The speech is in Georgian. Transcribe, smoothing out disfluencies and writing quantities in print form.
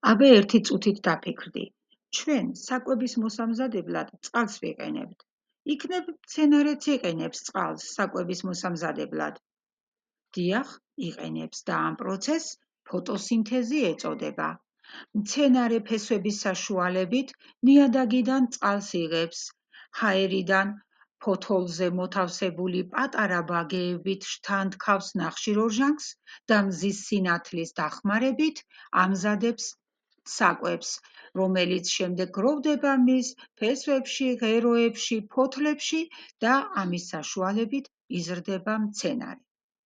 აბა ერთი წუთით დაფიქრდი. ჩვენ საკვების მოსამზადებლად წყალს ვიყენებთ. იქნებ მცენარეც იყენებს წყალს საკვების მოსამზადებლად. დიახ, იყენებს და ამ პროცესს ფოტოსინთეზი ეწოდება. მცენარე ფესვების საშუალებით ნიადაგიდან წყალს იღებს. ჰაერიდან ფოთოლზე მოთავსებული პატარა ბაგეებით შთანთქავს ნახშირორჟანგს და მზის სინათლის დახმარებით ამზადებს საკვებს, რომელიც შემდეგ გროვდება მის ფესვებში, ღეროებში, ფოთლებში და ამის საშუალებით იზრდება მცენარე.